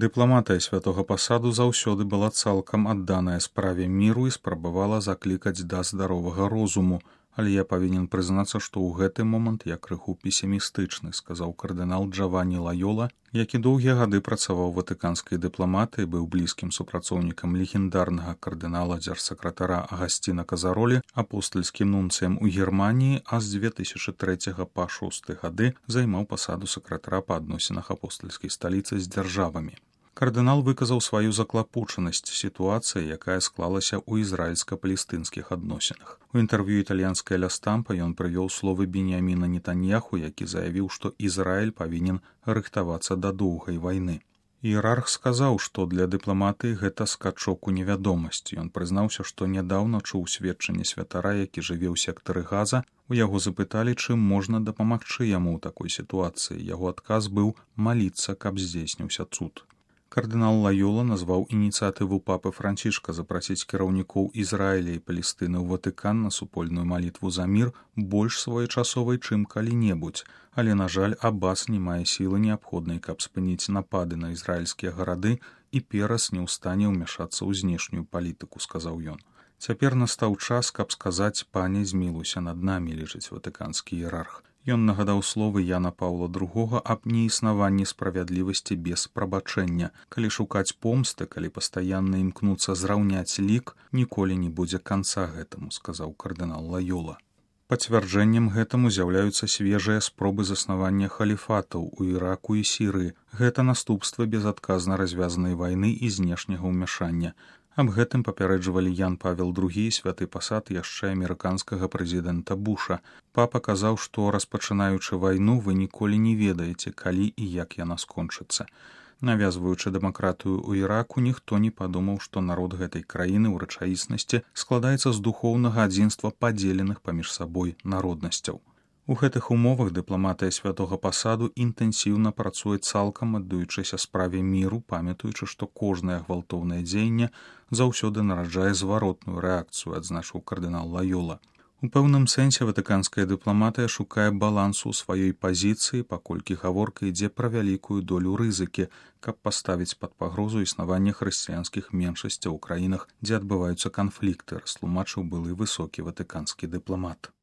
Дыпламатыя святога пасаду заўсёды была цалкам адданая справе міру і спрабавала заклікаць да здаровага розуму, але я павінен прызнацца, што ў гэты момант я крыху песімістычны, сказаў кардынал Джаванні Лайола, які доўгія гады працаваў ватыканскай дыпламатыі, быў блізкім супрацоўнікам легендарнага кардынала дзяржсакратара Агасціна Казаролі, апостальскім нунцыем у Германіі, а з 2003 па 2006 гады займаў пасаду сакратара па адносінах апостальскай сталіцы з дзяржавамі. Кардынал выказаў сваю заклапочанасць сітуацыі, якая склалася ў ізраільска-палестынскіх адносінах. У інтэрв'ю італьянскай Ля Стампа ён прывёў словы Беньяміна Нетаньяху, які заявіў, што Ізраіль павінен рыхтавацца да доўгай вайны. Іерарх сказаў, што для дыпламатыі гэта скачок у невядомасць. Ён прызнаўся, што нядаўна чуў сведчанне святара, які жыве ў сектары Газа. У яго запыталі, чым можна дапамагчы яму ў такой сітуацыі. Яго адказ быў маліцца, каб здзейсніўся цуд. Кардынал Лайола назваў ініцыятыву папы Францішка запрасіць кіраўнікоў Ізраіля і Палестыны ў Ватыкан на супольную малітву за мір больш своечасовай, чым калі-небудзь, але, на жаль, Аббас не мае сілы неабходнай, каб спыніць напады на ізраільскія гарады і перас не ў стане ўмяшацца ў знешнюю палітыку, сказаў ён. Цяпер настаў час, каб сказаць: «Пане, змілуйся над намі», лічыць ватыканскі іерарх. Ён нагадаў словы Яна Паўла II аб неіснаванні справядлівасці без прабачэння. Калі шукаць помсты, калі пастаянна імкнуцца зраўняць лік, ніколі не будзе канца гэтаму, сказаў кардынал Лайола. Пацвярджэннем гэтаму з'яўляюцца свежыя спробы заснавання халіфатаў у Іраку і Сірыі. Гэта наступствы безадказна развязанай вайны і знешняга ўмяшання. Аб гэтым папярэджвалі Ян Павел II і святы пасад яшчэ амерыканскага прэзідэнта Буша. Папа казаў, што, распачынаючы вайну, вы ніколі не ведаеце, калі і як яна скончыцца. Навязваючы дэмакратыю ў Іраку, ніхто не падумаў, што народ гэтай краіны ў рэчаіснасці складаецца з духоўнага адзінства падзеленых паміж сабой народнасцяў. У гэтых умовах дыпламатыя святога пасаду інтэнсіўна працуе цалкам аддаючыся справе міру, памятаючы, што кожнае гвалтоўнае дзеянне заўсёды нараджае зваротную рэакцыю, адзначыў кардынал Лайола. У пэўным сэнсе ватыканская дыпламатыя шукае балансу ў сваёй пазіцыі, паколькі гаворка ідзе пра вялікую долю рызыкі, каб паставіць пад пагрозу існавання хрысціянскіх меншасцяў у краінах, дзе адбываюцца канфлікты, растлумачыў былы высокі ватыканскі дыпламат.